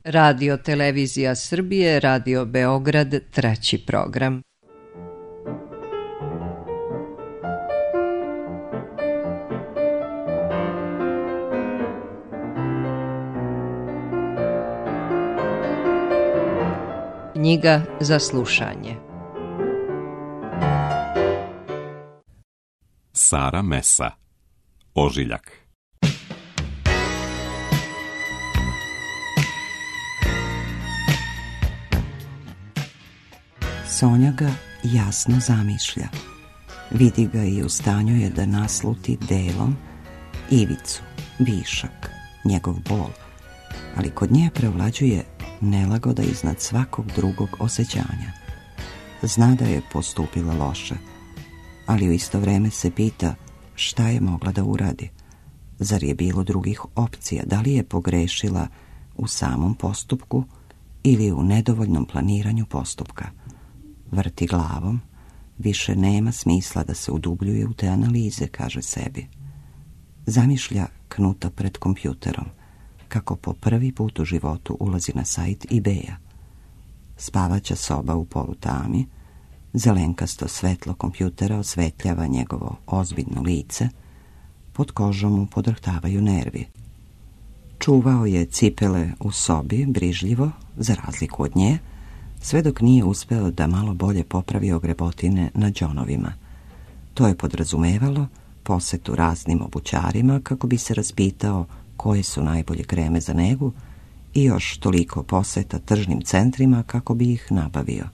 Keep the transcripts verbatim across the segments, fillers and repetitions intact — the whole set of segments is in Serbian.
Radio Televizija Srbije, Radio Beograd, treći program. Knjiga za slušanje. Sara Mesa, Ožiljak. Sonja ga jasno zamišlja. Vidi ga i u stanju je da nasluti delom ivicu, višak, njegov bol, ali kod nje prevlađuje nelagoda iznad svakog drugog osjećanja. Zna da je postupila loše, ali u isto vreme se pita šta je mogla da uradi. Zar je bilo drugih opcija? Da li je pogrešila u samom postupku ili u nedovoljnom planiranju postupka? Vrti glavom, više nema smisla da se udubljuje u te analize, kaže sebi. Zamišlja Knuta pred kompjuterom, kako po prvi put u životu ulazi na sajt eBaya. Spavaća soba u polutami, zelenkasto svetlo kompjutera osvetljava njegovo ozbiljno lice, pod kožom mu podrhtavaju nervi. Čuvao je cipele u sobi brižljivo, za razliku od nje, sve dok nije uspeo da malo bolje popravi ogrebotine na đonovima. To je podrazumevalo posetu raznim obućarima kako bi se raspitao koje su najbolje kreme za negu i još toliko poseta tržnim centrima kako bi ih nabavio.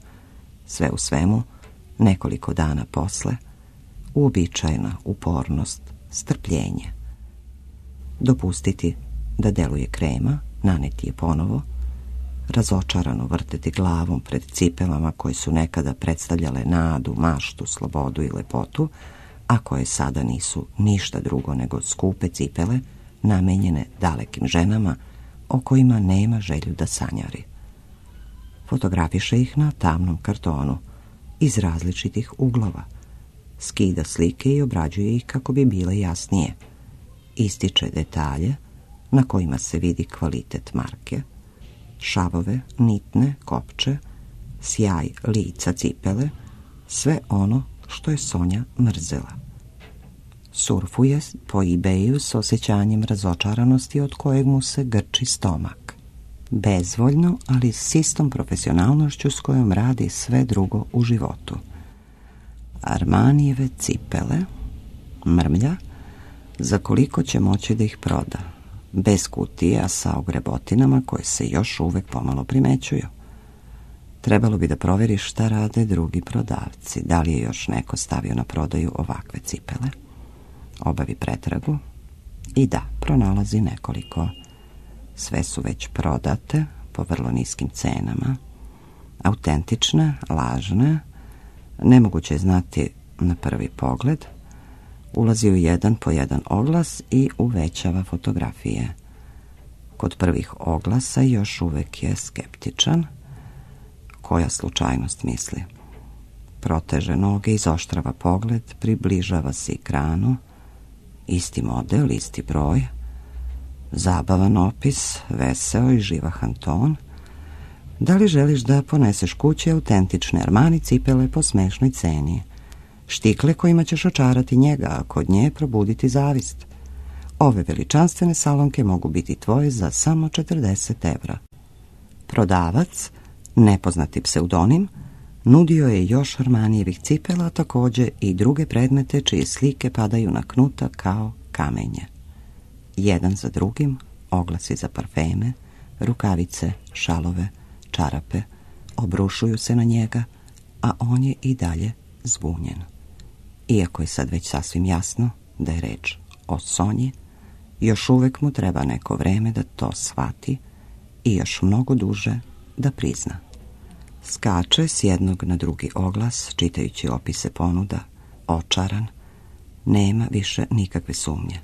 Sve u svemu, nekoliko dana posle, uobičajena upornost, strpljenje. Dopustiti da deluje krema, naneti je ponovo, razočarano vrteti glavom pred cipelama koje su nekada predstavljale nadu, maštu, slobodu i lepotu, a koje sada nisu ništa drugo nego skupe cipele namenjene dalekim ženama o kojima nema želju da sanjari. Fotografiše ih na tamnom kartonu iz različitih uglova, skida slike i obrađuje ih kako bi bile jasnije. Ističe detalje na kojima se vidi kvalitet marke, šavove, nitne, kopče, sjaj lica cipele, sve ono što je Sonja mrzela. Surfuje po eBayu s osjećanjem razočaranosti od kojeg mu se grči stomak. Bezvoljno, ali s istom profesionalnošću s kojom radi sve drugo u životu. Armanijeve cipele, mrmlja, za koliko će moći da ih proda, bez kutija sa ogrebotinama koje se još uvek pomalo primećuju. Trebalo bi da proveri šta rade drugi prodavci, da li je još neko stavio na prodaju ovakve cipele. Obavi pretragu i da, pronalazi nekoliko. Sve su već prodate po vrlo niskim cenama, autentične, lažne, nemoguće je znati na prvi pogled. Ulazi u jedan po jedan oglas i uvećava fotografije. Kod prvih oglasa još uvek je skeptičan. Koja slučajnost, misli. Proteže noge, izoštrava pogled, približava se ekranu. Isti model, isti broj. Zabavan opis, veseo i živahan ton. Da li želiš da poneseš kući autentične Armani cipele po smešnoj ceni? Štikle kojima ćeš očarati njega, a kod nje probuditi zavist. Ove veličanstvene salonke mogu biti tvoje za samo četrdeset evra. Prodavac, nepoznati pseudonim, nudio je još Armanijevih cipela, a također i druge predmete čije slike padaju na Knuta kao kamenje. Jedan za drugim, oglasi za parfeme, rukavice, šalove, čarape, obrušuju se na njega, a on je i dalje zbunjen. Iako je sad već sasvim jasno da je reč o Sonji, još uvek mu treba neko vreme da to shvati i još mnogo duže da prizna. Skače s jednog na drugi oglas, čitajući opise ponuda, očaran, nema više nikakve sumnje,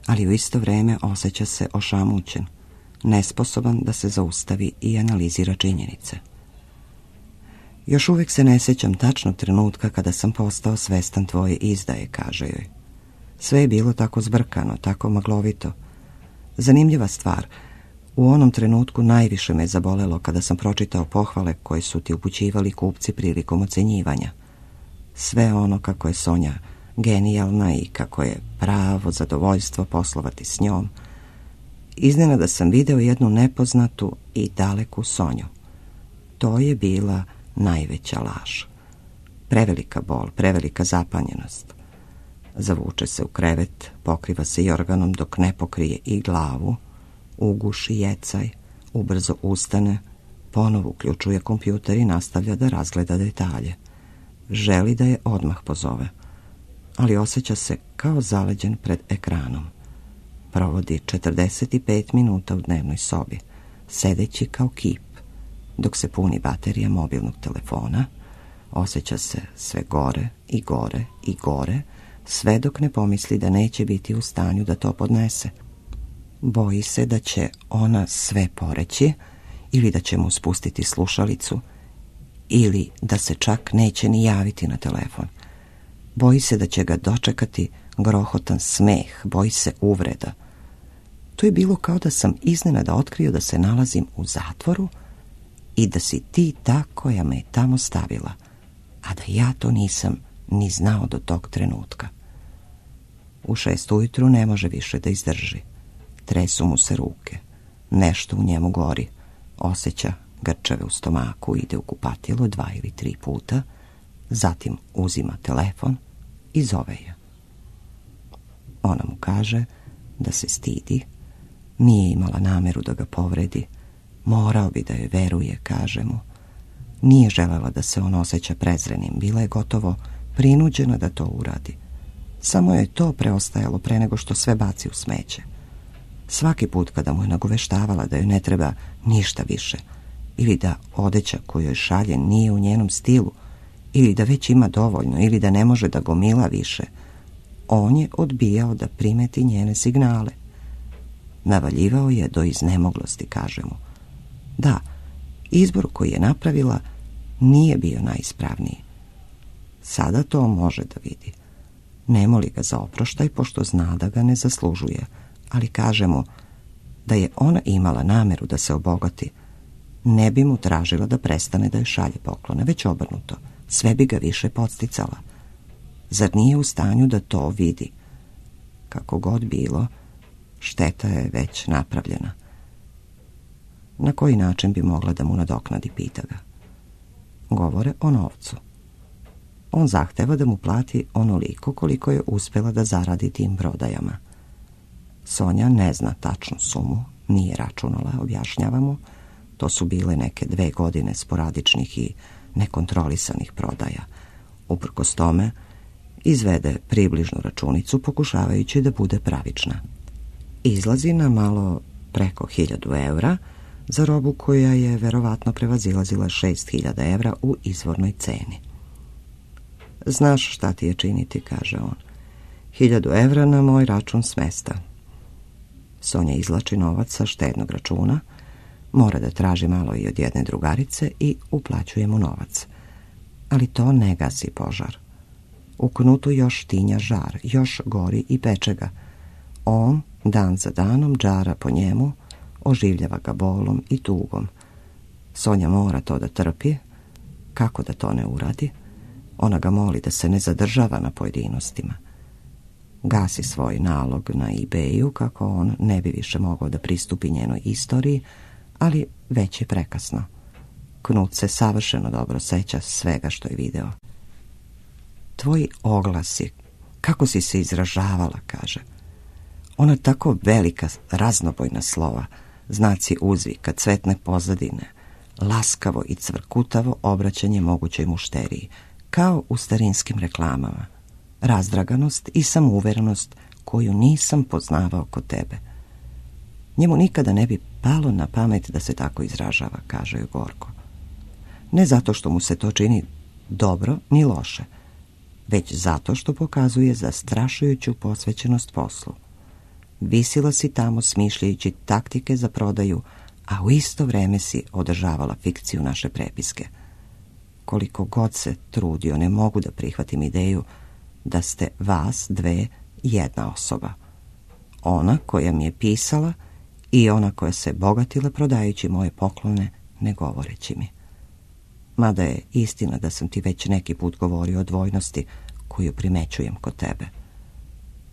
ali u isto vreme osjeća se ošamućen, nesposoban da se zaustavi i analizira činjenice. Još uvijek se ne sjećam tačnog trenutka kada sam postao svestan tvoje izdaje, kaže joj. Sve je bilo tako zbrkano, tako maglovito. Zanimljiva stvar, U onom trenutku najviše me zabolelo kada sam pročitao pohvale koje su ti upućivali kupci prilikom ocenjivanja. Sve ono kako je Sonja genijalna i kako je pravo zadovoljstvo poslovati s njom. Iznenada sam video jednu nepoznatu i daleku Sonju. To je bila najveća laž. Prevelika bol, prevelika zapanjenost. Zavuče se u krevet, pokriva se jorganom dok ne pokrije i glavu, uguši jecaj, ubrzo ustane, ponovo uključuje kompjuter i nastavlja da razgleda detalje. Želi da je odmah pozove, ali osjeća se kao zaleđen pred ekranom. Provodi četrdeset pet minuta u dnevnoj sobi, sedeći kao kip, dok se puni baterija mobilnog telefona. Osjeća se sve gore i gore i gore, sve dok ne pomisli da neće biti u stanju da to podnese. Boji se da će ona sve poreći ili da će mu spustiti slušalicu ili da se čak neće ni javiti na telefon. Boji se da će ga dočekati grohotan smeh, boji se uvreda. To je bilo kao da sam iznenada otkrio da se nalazim u zatvoru i da si ti ta koja me je tamo stavila, a da ja to nisam ni znao do tog trenutka. U šest ujutru ne može više da izdrži. Tresu mu se ruke. Nešto u njemu gori. Osjeća grčeve u stomaku, ide u kupatilo dva ili tri puta, zatim uzima telefon i zove je. Ona mu kaže da se stidi, nije imala nameru da ga povredi, morao bi da joj veruje, kaže mu. Nije želela da se on osjeća prezrenim, bila je gotovo prinuđena da to uradi. Samo je to preostajalo pre nego što sve baci u smeće. Svaki put kada mu je nagoveštavala da joj ne treba ništa više, ili da odeća koju joj šalje nije u njenom stilu, ili da već ima dovoljno, ili da ne može da gomila više, on je odbijao da primeti njene signale. Navaljivao je do iznemoglosti, kaže mu. Da, izbor koji je napravila nije bio najispravniji. Sada to može da vidi. Ne moli ga za oproštaj, pošto zna da ga ne zaslužuje, ali kaže mu da je ona imala nameru da se obogati, ne bi mu tražila da prestane da joj šalje poklone, već obrnuto, sve bi ga više podsticala. Zar nije u stanju da to vidi? Kako god bilo, šteta je već napravljena. Na koji način bi mogla da mu nadoknadi, pita ga. Govore o novcu. On zahteva da mu plati onoliko koliko je uspjela da zaradi tim prodajama. Sonja ne zna tačnu sumu, nije računala, objašnjava mu. To su bile neke dve godine sporadičnih i nekontrolisanih prodaja. Uprkos tome, izvede približnu računicu pokušavajući da bude pravična. Izlazi na malo preko hiljadu evra za robu koja je verovatno prevazilazila šest hiljada evra u izvornoj ceni. Znaš šta ti je činiti, kaže on. Hiljadu evra na moj račun s mesta. Sonja izvlači novac sa štednog računa, mora da traži malo i od jedne drugarice i uplaćuje mu novac. Ali to ne gasi požar. U knutu još tinja žar, još gori i peče ga. On, dan za danom, džara po njemu, oživljava ga bolom i tugom. Sonja mora to da trpi. Kako da to ne uradi? Ona ga moli da se ne zadržava na pojedinostima. Gasi svoj nalog na eBayu kako on ne bi više mogao da pristupi njenoj istoriji, ali već je prekasno. Knut se savršeno dobro seća svega što je video. Tvoji oglasi, kako si se izražavala, kaže. Ona tako velika, raznobojna slova, znaci uzvika, cvetne pozadine, laskavo i cvrkutavo obraćanje mogućoj mušteriji, kao u starinskim reklamama. Razdraganost i samouverenost koju nisam poznavao kod tebe. Njemu nikada ne bi palo na pamet da se tako izražava, kaže joj gorko. Ne zato što mu se to čini dobro ni loše, već zato što pokazuje zastrašujuću posvećenost poslu. Visila si tamo smišljajući taktike za prodaju, a u isto vreme si održavala fikciju naše prepiske. Koliko god se trudio, ne mogu da prihvatim ideju da ste vas dve jedna osoba. Ona koja mi je pisala i ona koja se bogatila prodajući moje poklone, ne govoreći mi. Mada je istina da sam ti već neki put govorio o dvojnosti koju primećujem kod tebe.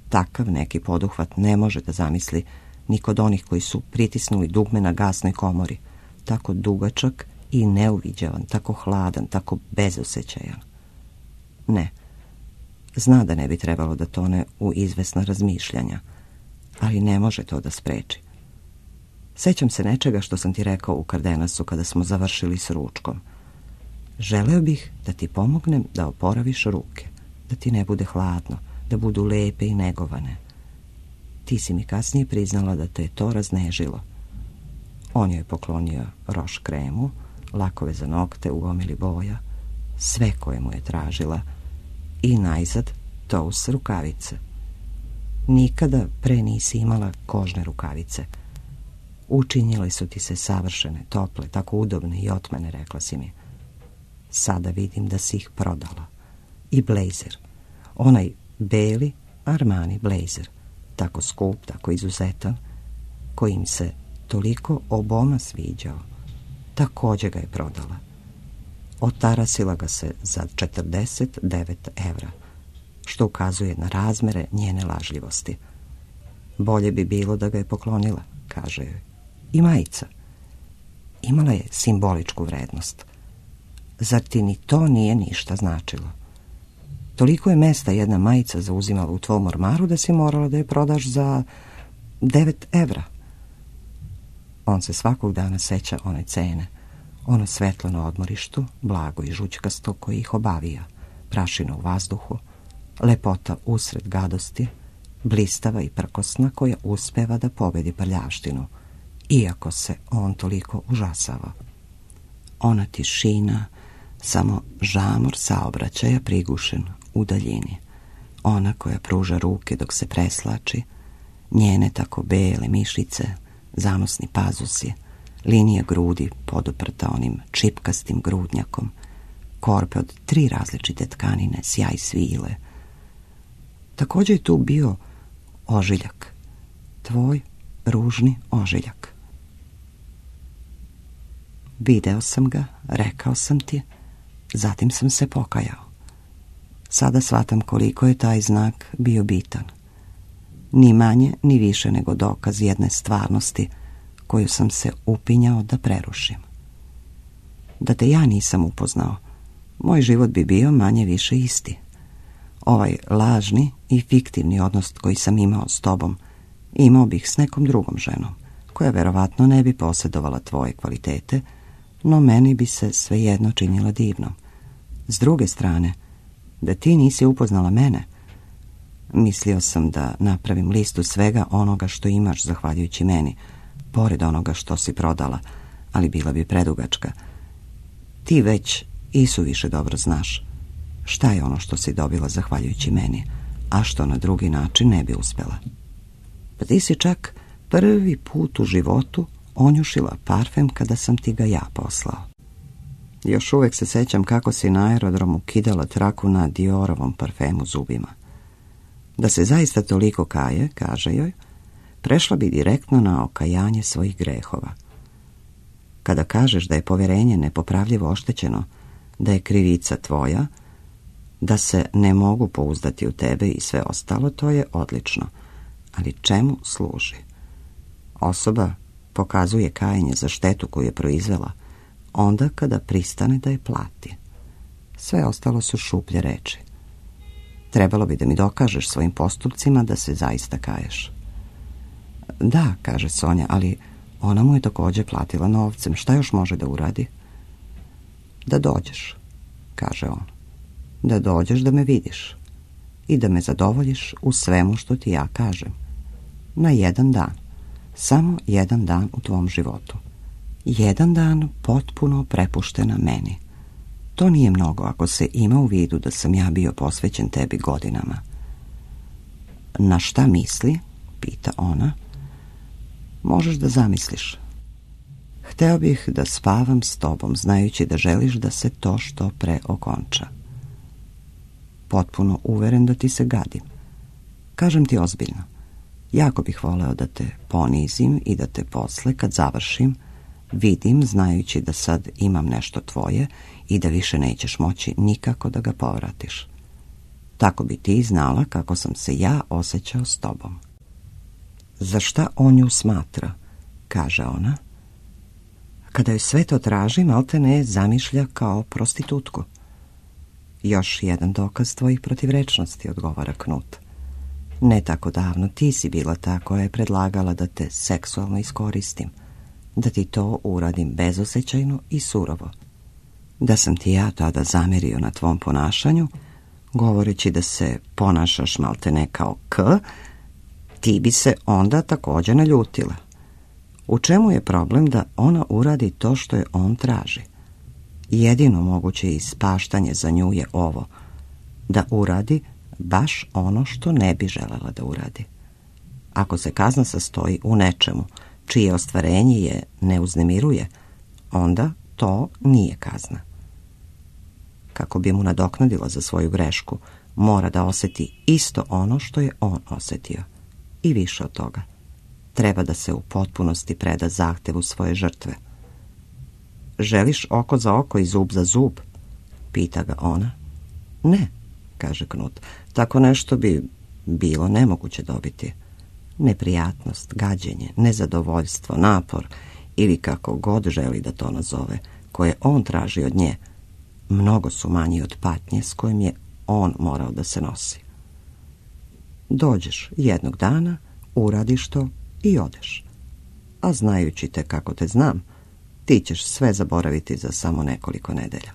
Takav neki poduhvat ne može da zamisli ni kod onih koji su pritisnuli dugme na gasnoj komori, tako dugačak i neuviđavan, tako hladan, tako bezosećajan. Ne, zna da ne bi trebalo da tone u izvesna razmišljanja, ali ne može to da spreči. Sećam se nečega što sam ti rekao u Kardenasu kada smo završili s ručkom. Želeo bih da ti pomognem da oporaviš ruke, da ti ne bude hladno, da budu lepe i negovane. Ti si mi kasnije priznala da te je to raznežilo. On joj je poklonio roš kremu, lakove za nokte u gomili boja, sve koje mu je tražila, i najzad tous rukavice. Nikada pre nisi imala kožne rukavice. Učinile su ti se savršene, tople, tako udobne i otmene, rekla si mi. Sada vidim da si ih prodala. I blejzer, onaj beli Armani blejzer, tako skup, tako izuzetan, kojim se toliko oboma sviđao, također ga je prodala. Otarasila ga se za četrdeset devet evra, što ukazuje na razmere njene lažljivosti. Bolje bi bilo da ga je poklonila, kaže joj. I majica. Imala je simboličku vrednost. Zar ti ni to nije ništa značilo? Toliko je mesta jedna majica zauzimala u tvom ormaru da si morala da je prodaš za devet evra. On se svakog dana seća one cene, ono svetlo na odmorištu, blago i žućkasto koje ih obavija, prašina u vazduhu, lepota usred gadosti, blistava i prkosna koja uspeva da pobedi prljavštinu, iako se on toliko užasava. Ona tišina, samo žamor saobraćaja prigušen u daljini, ona koja pruža ruke dok se preslači, njene tako bele mišice, zanosni pazusi, linija grudi poduprta onim čipkastim grudnjakom, korpe od tri različite tkanine, sjaj svile. Također je tu bio ožiljak, tvoj ružni ožiljak. Video sam ga, rekao sam ti, zatim sam se pokajao. Sada shvatam koliko je taj znak bio bitan. Ni manje, ni više nego dokaz jedne stvarnosti koju sam se upinjao da prerušim. Da te ja nisam upoznao, moj život bi bio manje više isti. Ovaj lažni i fiktivni odnos koji sam imao s tobom, imao bih s nekom drugom ženom, koja verovatno ne bi posjedovala tvoje kvalitete, no meni bi se svejedno činila divnom. S druge strane, da ti nisi upoznala mene, mislio sam da napravim listu svega onoga što imaš zahvaljujući meni, pored onoga što si prodala, ali bila bi predugačka. Ti već i suviše dobro znaš šta je ono što si dobila zahvaljujući meni, a što na drugi način ne bi uspjela. Pa ti si čak prvi put u životu onjušila parfem kada sam ti ga ja poslao. Još uvijek se sećam kako si na aerodromu kidala traku na Diorovom parfemu zubima. Da se zaista toliko kaje, kaže joj, prešla bi direktno na okajanje svojih grehova. Kada kažeš da je povjerenje nepopravljivo oštećeno, da je krivica tvoja, da se ne mogu pouzdati u tebe i sve ostalo, to je odlično. Ali čemu služi? Osoba pokazuje kajanje za štetu koju je proizvela onda kada pristane da je plati. Sve ostalo su šuplje reči. Trebalo bi da mi dokažeš svojim postupcima da se zaista kaješ. Da, kaže Sonja, ali ona mu je također platila novcem. Šta još može da uradi? Da dođeš, kaže on. Da dođeš da me vidiš i da me zadovoljiš u svemu što ti ja kažem. Na jedan dan. Samo jedan dan u tvom životu. Jedan dan potpuno prepuštena meni. To nije mnogo ako se ima u vidu da sam ja bio posvećen tebi godinama. Na šta misli? Pita ona. Možeš da zamisliš. Hteo bih da spavam s tobom, znajući da želiš da se to što pre okonča. Potpuno uveren da ti se gadim. Kažem ti ozbiljno. Jako bih voleo da te ponizim i da te posle, kad završim, vidim, znajući da sad imam nešto tvoje i da više nećeš moći nikako da ga povratiš. Tako bi ti znala kako sam se ja osjećao s tobom. Za šta on nju smatra, kaže ona. Kada joj sve to traži, maltene zamišlja kao prostitutku. Još jedan dokaz tvojih protivrečnosti, odgovara Knut. Ne tako davno ti si bila ta koja je predlagala da te seksualno iskoristim, da ti to uradim bezosjećajno i surovo. Da sam ti ja tada zamerio na tvom ponašanju, govoreći da se ponašaš maltene kao K, ti bi se onda također naljutila. U čemu je problem da ona uradi to što je on traži? Jedino moguće ispaštanje za nju je ovo, da uradi baš ono što ne bi želela da uradi. Ako se kazna sastoji u nečemu čije ostvarenje je ne uznemiruje, onda to nije kazna. Kako bi mu nadoknadila za svoju grešku, mora da osjeti isto ono što je on osjetio. I više od toga. Treba da se u potpunosti preda zahtevu svoje žrtve. Želiš oko za oko i zub za zub? Pita ga ona. Ne, kaže Knut. Tako nešto bi bilo nemoguće dobiti. Neprijatnost, gađenje, nezadovoljstvo, napor ili kako god želi da to nazove, koje on traži od nje, mnogo su manji od patnje s kojim je on morao da se nosi. Dođeš jednog dana, uradiš to i odeš. A znajući te kako te znam, ti ćeš sve zaboraviti za samo nekoliko nedelja.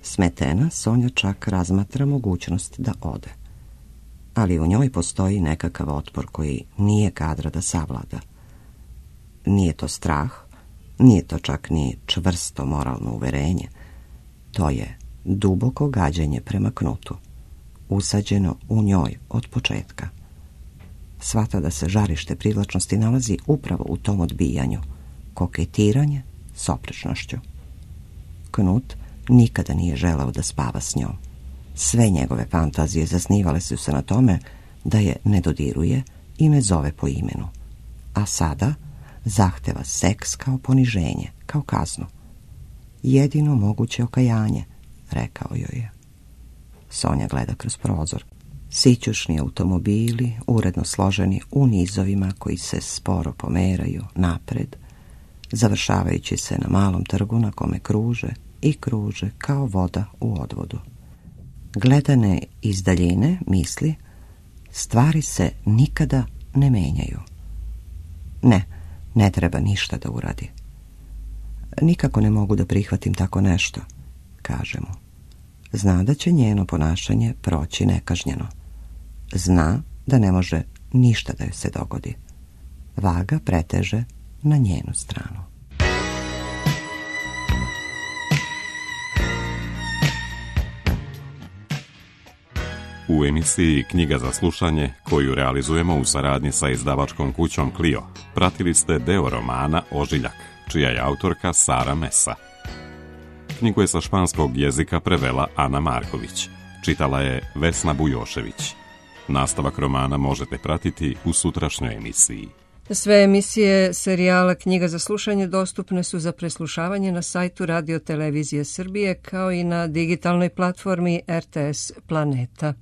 Smetena, Sonja čak razmatra mogućnost da ode. Ali u njoj postoji nekakav otpor koji nije kadra da savlada. Nije to strah, nije to čak ni čvrsto moralno uverenje. To je duboko gađenje prema Knutu, usađeno u njoj od početka. Shvata da se žarište privlačnosti nalazi upravo u tom odbijanju, koketiranje s oprečnošću. Knut nikada nije želeo da spava s njom. Sve njegove fantazije zasnivale su se na tome da je ne dodiruje i ne zove po imenu. A sada zahteva seks kao poniženje, kao kaznu. Jedino moguće okajanje, rekao joj je. Sonja gleda kroz prozor. Sićušni automobili, uredno složeni u nizovima koji se sporo pomeraju napred, završavajući se na malom trgu na kome kruže i kruže kao voda u odvodu. Gledane iz daljine misli, stvari se nikada ne menjaju. Ne, ne treba ništa da uradi. Nikako ne mogu da prihvatim tako nešto, kaže mu. Zna da će njeno ponašanje proći nekažnjeno. Zna da ne može ništa da joj se dogodi. Vaga preteže na njenu stranu. U emisiji Knjiga za slušanje, koju realizujemo u saradnji sa izdavačkom kućom Clio, pratili ste deo romana Ožiljak, čija je autorka Sara Mesa. Knjigu je sa španskog jezika prevela Ana Marković, čitala je Vesna Bujošević. Nastavak romana možete pratiti u sutrašnjoj emisiji. Sve emisije serijala Knjiga za slušanje dostupne su za preslušavanje na sajtu Radio Televizije Srbije kao i na digitalnoj platformi R T S Planeta.